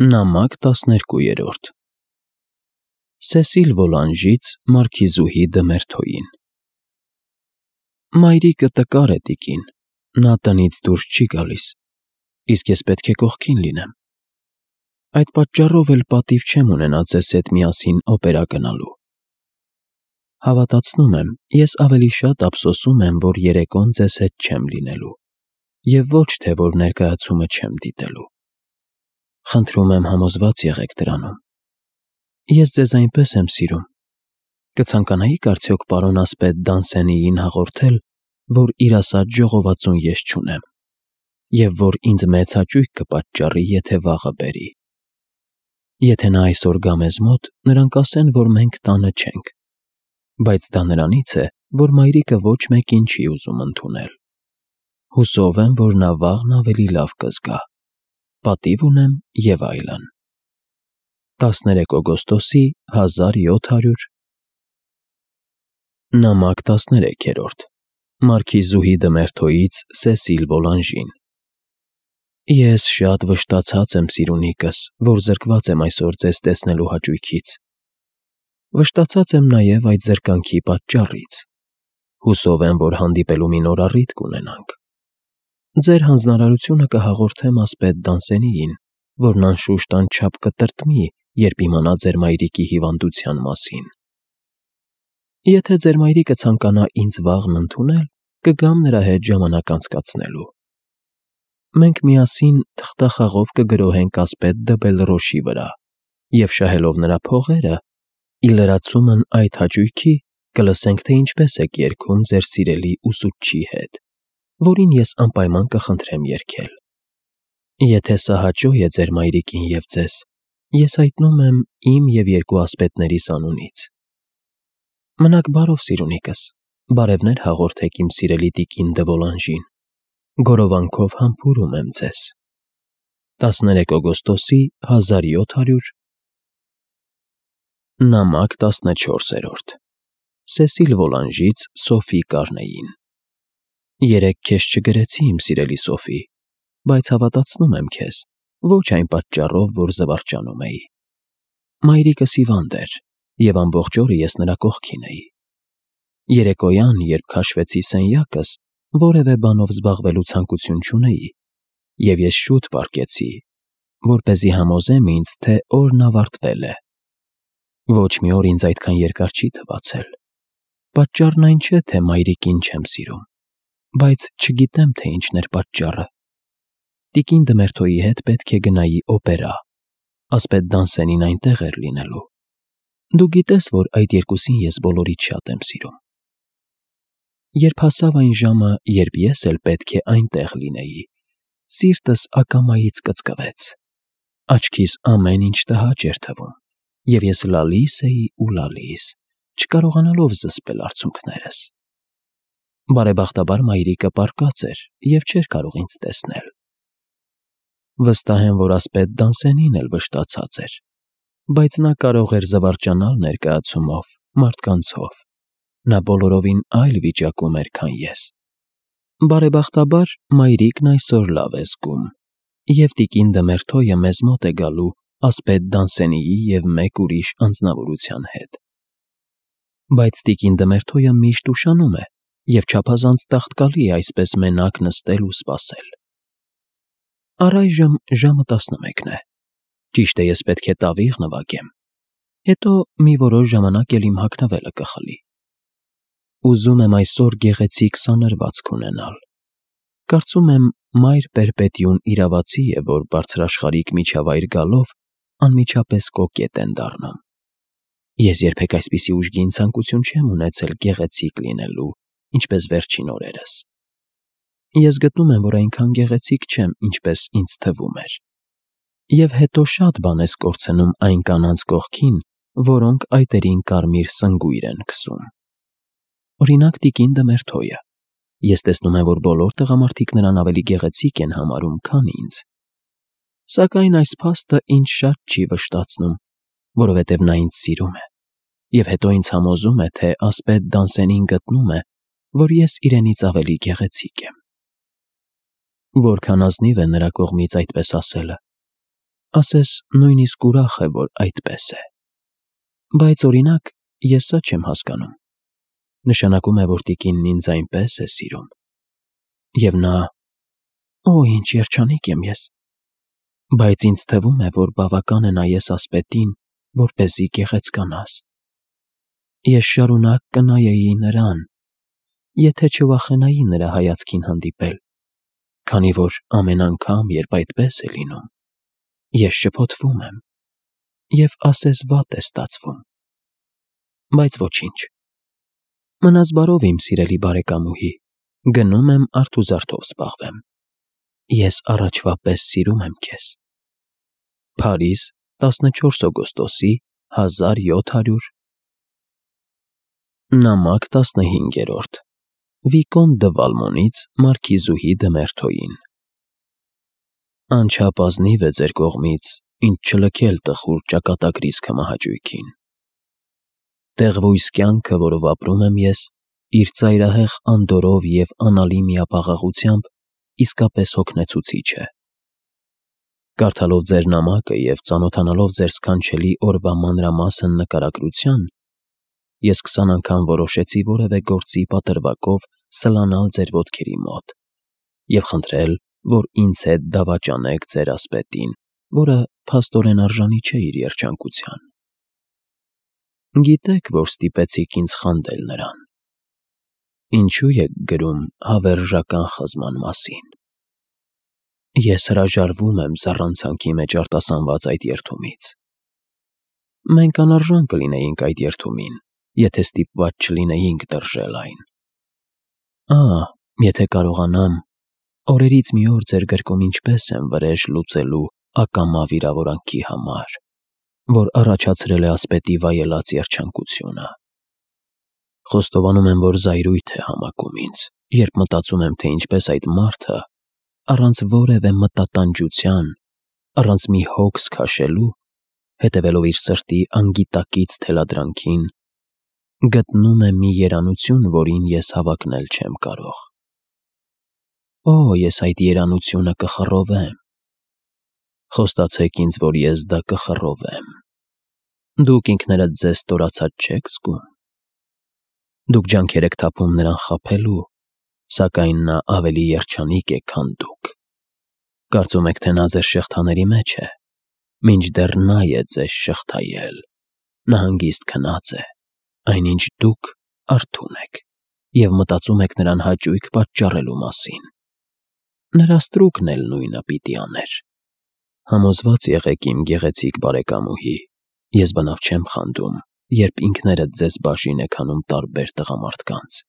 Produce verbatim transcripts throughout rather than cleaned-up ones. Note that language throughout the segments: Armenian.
Նամակ տասներկուերորդ Սեսիլ Վոլանժից Մարքիզուհի դը Մերթոյին Մայրիկը տկար է տիկին, նա տնից դուրս չի գալիս, իսկ ես պետք է կողքին լինեմ։ Այդ պատճառով էլ պատիվ չեմ ունենա ձեզ հետ միասին օպերա գնալու։ Հավատացնում եմ, ես ավելի շատ ափսոսում եմ, որ երեկոն ձեզ հետ չեմ լինելու, և ոչ թե, որ ներկայացումը չեմ դիտելու։ Խնդրում եմ համոզված եղեք դրանում։ Ես ձեզ այնպես եմ սիրում։ Կցանկանայի՞ք արդյոք պարոն ասպետ Դանսենիին հաղորդել, որ իր ասած ժողովածուն ես չունեմ, և որ ինձ մեծ հաճույք կպատճառի, եթե վաղը բերի։ Եթե նա այսօր գա մեզ մոտ, նրան կասեն, որ մենք տանը չենք, բայց դա նրանից է, որ մայրիկը ոչ մեկին չի ուզում ընդունել։ Հուսով եմ, որ նա վաղն ավելի լավ կզգա։ Պատիվ ունեմ և այլն։ տասներեք օգոստոսի հազար յոթ հարյուր Նամակ տասներեքերորդ Մարքիզուհի դը Մերթոյից Սեսիլ Վոլանժին Ես շատ վշտացած եմ, սիրունիկս, որ զրկված եմ այսօր ձեզ տեսնելու հաճույքից։ Վշտացած եմ նաև այդ զրկանքի պատճառից։ Հուսով եմ, որ հանդիպելու մի նոր առիթ կունենանք։ Ձեր հանձնարարությունը կհաղորդեմ ասպետ Դանսենիին, որն անշուշտ անչափ կտրտմի, երբ իմանա ձեր մայրիկի հիվանդության մասին։ Եթե ձեր մայրիկը ցանկանա ինձ վաղն ընդունել, կգամ նրա հետ ժամանակ անցկացնելու։ Մենք միասին թղթախաղով կգրոհենք ասպետ դը Բելռոշի վրա, և շահելով նրա փողերը, ի լրացումն այդ հաճույքի կլսենք, թե ինչպես եք երգում ձեր սիրելի ուսուցչի հետ, որին ես անպայման կխնդրեմ երգել։ Եթե սա հաճո է ձեր մայրիկին և ձեզ, ես հայտնում եմ իմ և երկու ասպետներիս անունից։ Մնաք բարով, սիրունիկս, բարևներ հաղորդեք իմ սիրելի տիկին դը Վոլանժին, գորովանքով համբուրում եմ ձեզ։ տասներեք օգոստոսի հազար յոթ հարյուր Նամակ տասնչորսերորդ Սեսիլ Վոլանժից Սոֆի Կարնեին Երեկ քեզ չգրեցի, իմ սիրելի Սոֆի, բայց հավատացնում եմ քեզ, ոչ այն պատճառով, որ զվարճանում էի։ Մայրիկս հիվանդ էր, և ամբողջ օրը ես նրա կողքին էի։ Երեկոյան, երբ քաշվեցի սենյակս, որևէ բանով զբաղվելու ցանկություն չունեի, և ես շուտ պառկեցի, որպեսզի համոզեմ ինձ, թե օրն ավարտվել է։ Ոչ մի օր ինձ այդքան երկար չի թվացել։ Պատճառն այն չէ, թե մայրիկին չեմ սիրում, բայց չգիտեմ, թե ինչն էր պատճառը։ Տիկին դը Մերթոյի հետ պետք է գնայի օպերա, ասպետ Դանսենին այնտեղ էր լինելու։ Դու գիտես, որ այդ երկուսին ես բոլորից շատ եմ սիրում։ Երբ հասավ այն ժամը, երբ ես էլ պետք է այնտեղ լինեի, սիրտս ակամայից կծկվեց։ Աչքիս ամեն ինչ տհաճ էր թվում, և ես լալիս էի ու լալիս, չկարողանալով զսպել արցունքներս։ Բարեբախտաբար մայրիկը պառկած էր և չէր կարող ինձ տեսնել։ Վստահ եմ, որ ասպետ Դանսենին էլ վշտացած էր, բայց նա կարող էր զվարճանալ ներկայացումով, մարդկանցով։ Նա բոլորովին այլ վիճակում էր, քան ես։ Բարեբախտաբար մայրիկն այսօր լավ է զգում, և տիկին դը Մերթոյը մեզ մոտ է գալու ասպետ Դանսենիի և մեկ ուրիշ անձնավորության հետ։ Բայց տիկին դը Մերթոյը միշտ ուշանում է և չափազանց տաղտկալի է այսպես մենակ նստել ու սպասել։ Առայժմ ժամը տասնմեկն է։ Ճիշտ է, ես պետք է տավիղ նվագեմ, հետո մի որոշ ժամանակ էլ իմ հագնվելը կխլի։ Ուզում եմ այսօր գեղեցիկ սանրվածք ունենալ։ Կարծում եմ մայր պերպետիուն իրավացի է, որ բարձրաշխարհիկ միջավայր գալով անմիջապես կոկետ են դառնում։ Ես երբեք այսպիսի ուժգին ցանկություն չեմ ունեցել գեղեցիկ լինելու, ինչպես վերջին օրերս։ Ես գտնում եմ, որ այնքան գեղեցիկ չեմ, ինչպես ինձ թվում էր։ Եվ հետո շատ բան ես կորցնում այն կանանց կողքին, որոնք այտերին կարմիր սնգույր են քսում։ Օրինակ տիկին դը Մերթոյը։ Ես տեսնում եմ, որ բոլոր տղամարդիկ նրան ավելի գեղեցիկ են համարում, քան ինձ։ Սակայն այս փաստը ինձ շատ չի վշտացնում, որովհետև նա ինձ սիրում է, և հետո ինձ համոզում է, թե ասպետ Դանսենին գտնում է, որ ես իրենից ավելի գեղեցիկ եմ։ Որքան ազնիվ է նրա կողմից այդպես ասելը։ ասես նույնիսկ ուրախ է, որ այդպես է։ Բայց օրինակ, ես սա չեմ հասկանում։ Նշանակում է, որ տիկինն ինձ այնպես է սիրում։ Եվ նա, օ, ինչ երջանիկ եմ ես։ Բայց ինձ թվում է, որ բավական է նայես ասպետին, որպեսզի գեղեցկանաս։ Ես շարունակ կնայեի նրան, եթե չվախենայի նրա հայացքին հանդիպել, քանի որ ամեն անգամ, երբ այդպես է լինում, ես շփոթվում եմ և ասես վատ է ստացվում։ Բայց ոչինչ։ Մնաս բարով, իմ սիրելի բարեկամուհի, գնում եմ արթուզարդով զբաղվեմ։ Ես առաջվա պես սիրում եմ քեզ։ Փարիզ, տասնչորս օգոստոսի հազար յոթ հարյուր Նամակ տասնհինգերորդ Վիկոն դը Վալմոնից մարքիզուհի դը Մերթոյին Անչափ ազնիվ է ձեր կողմից, ինձ չլքել տխուր ճակատագրիս քմահաճույքին։ Տեղվույս կյանքը, որով ապրում եմ ես, իր ծայրահեղ անդորրով և անալի միապաղաղությամբ իսկապես հոգնեցուցիչ է։ Կարդալով ձեր նամակը և ծանոթանալով ձեր սքանչելի օրվա մանրամասն նկարագրության, ես քսան անգամ որոշեցի որևէ գործի պատրվակով սլանալ ձեր ոտքերի մոտ և խնդրել, որ ինձ հետ դավաճանեք ձեր ասպետին, որը փաստորեն արժանի չէ իր երջանկության։ Գիտեք, որ ստիպեցիք ինձ խանդել նրան։ Ինչու եք գրում հավերժական խզման մասին։ Ես հրաժարվում եմ զառանցանքի մեջ արտասանված այդ երդումից։ Մենք անարժան կլինեինք այդ երդումին, եթե ստիպված չլինեինք տրժել այն։ Ահ, եթե կարողանամ, օրերից մի օր ձեր գրկում ինչպես եմ վրեժ լուծելու ակամա վիրավորանքի համար, որ առաջացրել է ասպետի վայելած երջանկությունը։ Խոստովանում եմ, որ զայրույթ է համակում ինձ, երբ մտածում եմ, թե ինչպես այդ մարդը, առանց որևէ մտատանջության, առանց մի հոգս քաշելու, հետևելով իր սրտի անգիտակից թելադրանքին, գտնում է մի երանություն, որին ես հավակնել չեմ կարող։ Օ, ես այդ երանությունը կխռովեմ։ Խոստացեք ինձ, որ ես դա կխռովեմ։ Դուք ինքներդ ձեզ ստորացած չեք զգում։ Դուք ջանքեր եք թափում նրան խաբելու, սակայն նա ավելի երջանիկ է, քան դուք։ Կարծում եք, թե նա ձեր շղթաների մեջ է, մինչդեռ նա է ձեզ շղթայել։ Նա հանգիստ քնած է, այնինչ դուք արթուն եք և մտածում եք նրան հաճույք պատճառելու մասին։ Նրա ստրուկն էլ նույնը պիտի աներ։ Համոզված եղեք, իմ գեղեցիկ բարեկամուհի, ես բնավ չեմ խանդում, երբ ինքներդ ձեզ բաժին եք անում տարբեր տղամարդկանց։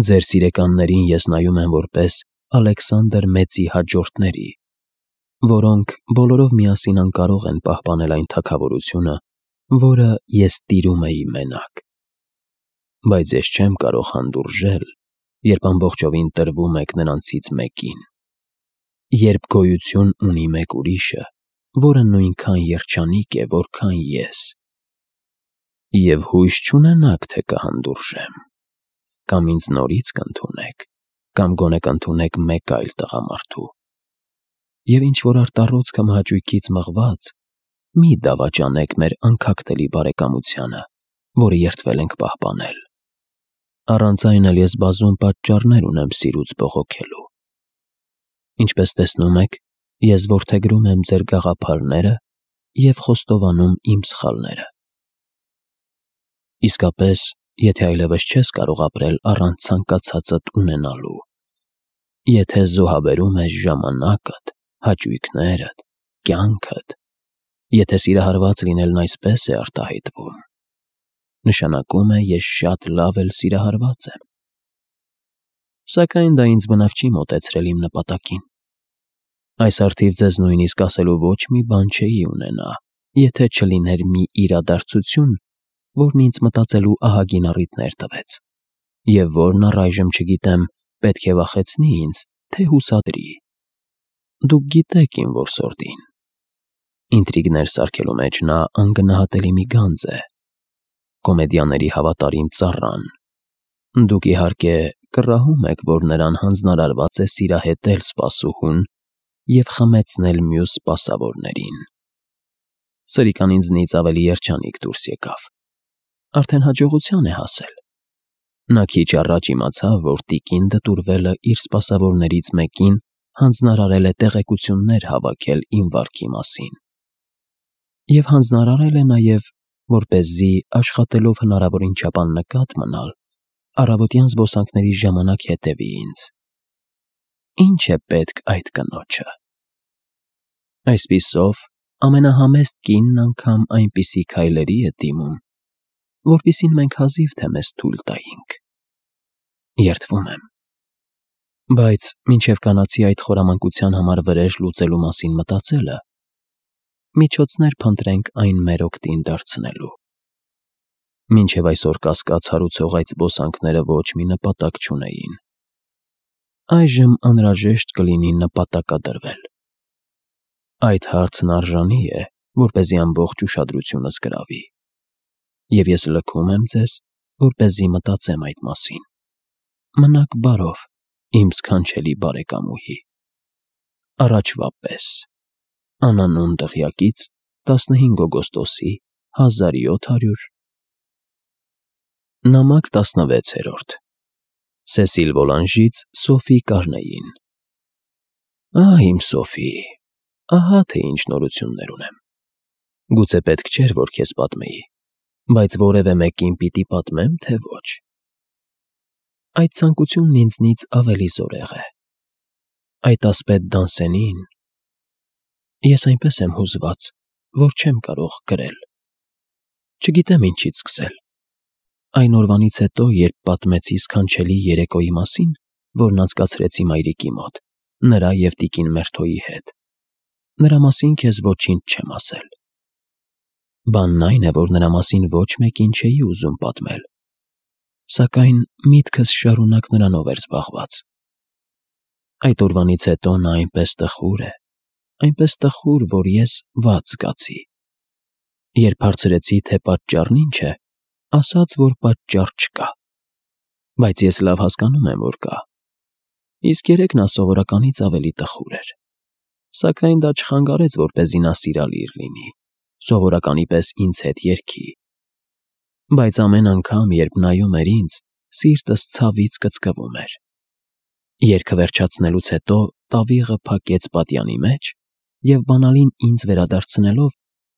Ձեր սիրեկաններին ես նայում եմ որպես Ալեքսանդր Մեծի հաջորդների, որոնք բոլորով միասին անկարող են պահպանել այն թագավորությունը, որը ես տիրում էի մենակ։ Բայց ես չեմ կարող հանդուրժել, երբ ամբողջովին տրվում եք նրանցից մեկին, երբ գոյություն ունի մեկ ուրիշը, որը նույնքան երջանիկ է, որքան ես։ Եվ հույս չունենաք, թե կհանդուրժեմ, կամ ինձ նորից կընդունեք, կամ գոնե կընդունեք մեկ այլ տղամարդու։ Եվ ինչ-որ արտառոց կամ հաճույքից մղված, մի դավաճանեք մեր անքակտելի բարեկամությանը, որը երդվել ենք պահպանել։ Առանց այն էլ ես բազում պատճառներ ունեմ սիրուց բողոքելու։ Ինչպես տեսնում եք, ես որդեգրում եմ ձեր գաղափարները և խոստովանում իմ սխալները։ Իսկապես, եթե այլևս չես կարող ապրել առանց ցանկացածդ ունենալու, եթե զոհաբերում ես ժամանակդ, հաճույքներդ, կյանքդ, եթե սիրահարված լինելն այսպես է արտահայտվում, նշանակում է ես շատ լավ էլ սիրահարված եմ։ Սակայն դա ինձ բնավ չի մոտեցրել իմ նպատակին։ Այս առթիվ ձեզ նույնիսկ ասելու ոչ մի բան չէի ունենա, եթե չլիներ մի իրադարձություն, որն ինձ մտածելու ահագին առիթներ տվեց, և որն առայժմ չգիտեմ պետք է վախեցնի ինձ, թե հուսադրի։ Դուք գիտեք իմ որսորդին։ Ինտրիգներ սարքելու մեջ նա անգնահատելի մի գանձ է, կոմեդիաների հավատարիմ ծառան։ Դուք իհարկե կռահում եք, որ նրան հանձնարարված է սիրահետել սպասուհուն և խմեցնել մյուս սպասավորներին։ Սրիկան ինձնից ավելի երջանիկ դուրս եկավ։ Արդեն հաջողության է հասել։ Նա քիչ առաջ իմացավ, որ տիկին Դտուրվելը իր սպասավորներից մեկին հանձնարարել է տեղեկություններ հավաքել իմ վարքի մասին։ Եվ հանձնարարել է նաև, որպեսզի աշխատելով հնարավորին չափ աննկատ մնալ, առավոտյան զբոսանքների ժամանակ հետևի ինձ։ Ինչ է պետք այդ կնոջը։ Այսպիսով, ամենահամեստ կինն անգամ այնպիսի քայլերի է դիմում, որպիսին մենք հազիվ թե մեզ թույլ տայինք։ Երդվում եմ։ Բայց մինչև կանացի այդ խորամանկության համար վրեժ լուծելու մասին մտածելը, միջոցներ փնտրենք այն մեր օգտին դարձնելու։ Մինչև այսօր կասկած հարուցող այդ զբոսանքները ոչ մի նպատակ չունեին։ Այժմ անհրաժեշտ կլինի նպատակադրվել։ Այդ հարցն արժանի է, որպեսզի ամբողջ ուշադրությունս գրավի։ Եվ ես լքում եմ ձեզ, որպեսզի մտածեմ այդ մասին։ Մնաք բարով, իմ սքանչելի բարեկամուհի։ Առաջվա պես։ Անանուն դղյակից տասնհինգ օգոստոսի հազար յոթ հարյուր Նամակ տասնվեցերորդ Սեսիլ Վոլանժից Սոֆի Կարնեին։ Ահ, իմ Սոֆի, ահա թե ինչ նորություններ ունեմ։ Գուցե պետք չէր, որ քեզ պատմեի, բայց որևէ մեկին պիտի պատմեմ, թե ոչ։ Այդ ցանկությունն ինձնից ավելի զորեղ է։ Այդ ասպետ Դանսենին… Ես այնպես եմ հուզված, որ չեմ կարող գրել։ Չգիտեմ ինչից սկսել։ Այն օրվանից հետո, երբ պատմեցի սքանչելի երեկոյի մասին, որն անցկացրեցի մայրիկի մոտ, նրա և տիկին Մերթոյի հետ, նրա մասին քեզ ոչինչ չեմ ասել։ Բանն այն է, որ նրա մասին ոչ մեկին չէի ուզում պատմել, սակայն միտքս շարունակ նրանով էր զբաղված։ Այդ օրվանից հետո նա այնպես տխուր է, այնպես տխուր, որ ես վատ զգացի։ Երբ հարցրեցի, թե պատճառն ինչ է, ասաց, որ պատճառ չկա։ Բայց ես լավ հասկանում եմ, որ կա։ Իսկ երեկ նա սովորականից ավելի տխուր էր։ Սակայն դա չխանգարեց, որպեսզի նա սիրալիր լինի, սովորականի պես ինձ հետ երգի։ Բայց ամեն անգամ, երբ նայում էր ինձ, սիրտս ցավից կծկվում էր։ Երգը վերջացնելուց հետո տավիղը փակեց պատյանի մեջ և բանալին ինձ վերադարձնելով,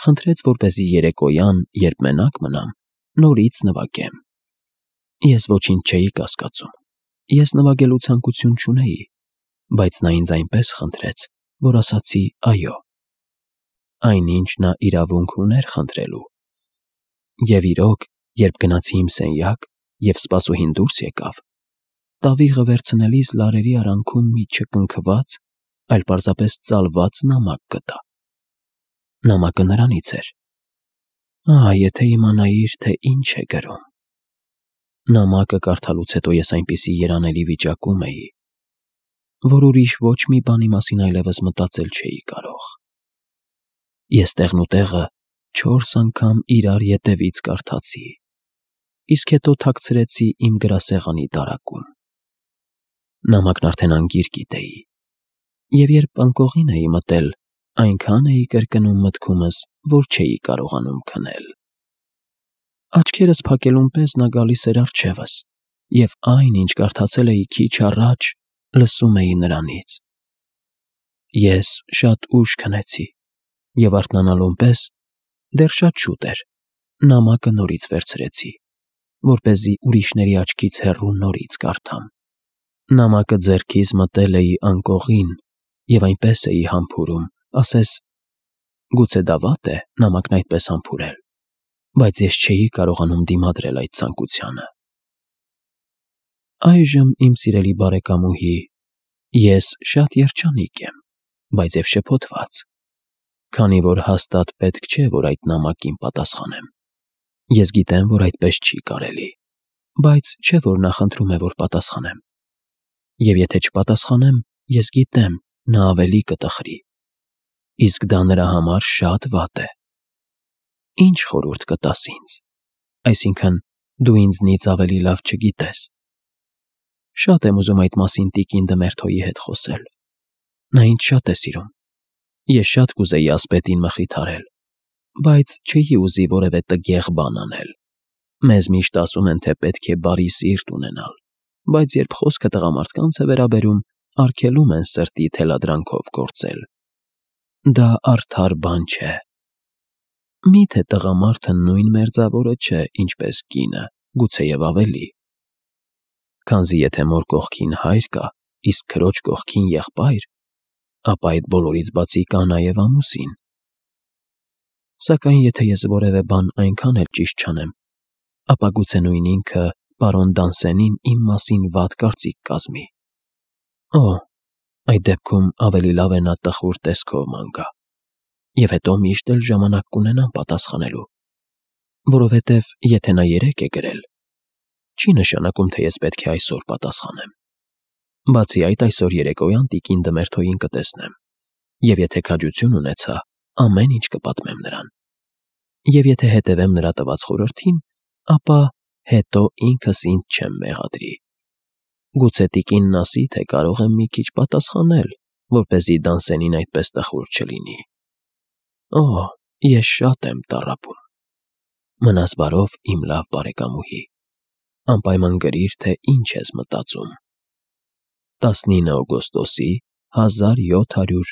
խնդրեց, որպեսզի երեկոյան, երբ մենակ մնամ, նորից նվագեմ։ Ես ոչինչ չէի կասկածում։ Ես նվագելու ցանկություն չունեի, բայց նա ինձ այնպես խնդրեց, որ ասացի այո։ Այնինչ նա իրավունք ուներ խնդրելու։ Եվ իրոք, երբ գնացի իմ սենյակ և սպասուհին դուրս եկավ, տավիղը վերցնելիս լարերի արանքում մի չկնքված, այլ պարզապես ծալված նամակ գտա։ Նամակը նրանից էր։ Ահ, եթե իմանայիր, թե ինչ է գրում։ Նամակը կարդալուց հետո ես այնպիսի երանելի վիճակում էի, որ ուրիշ ոչ մի բանի մասին այլևս մտածել չէի կարող։ Ես տեղնուտեղը չորս անգամ իրար ետևից կարդացի, իսկ հետո թաքցրեցի իմ գրասեղանի դարակում։ Նամակն արդեն անգիր գիտեի, և երբ անկողին էի մտել, այնքան էի կրկնում մտքումս, որ չէի կարողանում քնել։ Աչքերս փակելուն պես նա գալիս էր առջևս, և այն, ինչ կարդացել էի քիչ առաջ, լսում էի նրանից։ Ես շատ ուշ քնեցի, և արթնանալուն պես, դեռ շատ շուտ էր, նամակը նորից վերցրեցի, որպեսզի ուրիշների աչքից հեռու նորից կարդամ։ Նամակը ձեռքիս մտել էի անկողին և այնպես էի համբուրում, ասես… Գուցե դա վատ է նամակն այդպես համբուրել, բայց ես չէի կարողանում դիմադրել այդ ցանկությանը։ Այժմ, իմ սիրելի բարեկամուհի, ես շատ երջանիկ եմ, բայց և շփոթված, քանի որ հաստատ պետք չէ, որ այդ նամակին պատասխանեմ։ Ես գիտեմ, որ այդպես չի կարելի, բայց չէ, որ նա խնդրում է, որ պատասխանեմ։ Եվ եթե չպատասխանեմ, ես գիտեմ, նա ավելի կտխրի, իսկ դա նրա համար շատ վատ է։ Ինչ խորհուրդ կտաս ինձ, այսինքն՝ դու ինձնից ավելի լավ չգիտես։ Շատ եմ ուզում այդ մասին տիկին Դմերթոյի հետ խոսել, Նա ինձ շատ է սիրում։ Ես շատ կուզեի ասպետին մխիթարել, բայց չէի ուզի որևէ տգեղ բան անել։ Մեզ միշտ ասում են, թե պետք է բարի սիրտ ունենալ, բայց երբ խոսքը տղամարդկանց է վերաբերում, արգելում են սրտի թելադրանքով գործել։ Դա արդար բան չէ։ Մի՞թե տղամարդը նույն մերձավորը չէ, ինչպես կինը, գուցեև ավելի։ Քանզի եթե մոր կողքին հայր կա, իսկ քրոջ կողքին եղբայր, ապա այդ բոլորից բացի կա նաև ամուսին։ Սակայն եթե ես որևէ բան այնքան էլ ճիշտ չանեմ, ապա գուցե նույն ինքը պարոն Դանսենին իմ մասին վատ կարծիք կազմի։ Օ, այդ դեպքում ավելի լավ է նա տխուր տեսքով ման գա, և հետո միշտ էլ ժամանակ կունենամ պատասխանելու, որովհետև եթե նա երեկ է գրել, չի նշանակում, թե ես պետք է այսօր պատասխանեմ։ Բացի այդ, այսօր երեկոյան տիկին Դմերթոյին կտեսնեմ, և եթե քաջություն ունեցա, ամեն ինչ կպատմեմ նրան։ Եվ եթե հետևեմ նրա տված խորհրդին, ապա հետո ինքս ինձ չեմ մեղադրի։ Գուցե տիկինն ասի, թե կարող եմ մի քիչ պատասխանել, որպեսզի Դանսենին այդպես տխուր չլինի։ Օ, ես շատ եմ տառապում։ Մնաս բարով, իմ լավ բարեկամուհի, անպայման գրիր, թե ինչ ես մտածում։ տասնինը օգոստոսի հազար յոթ հարյուր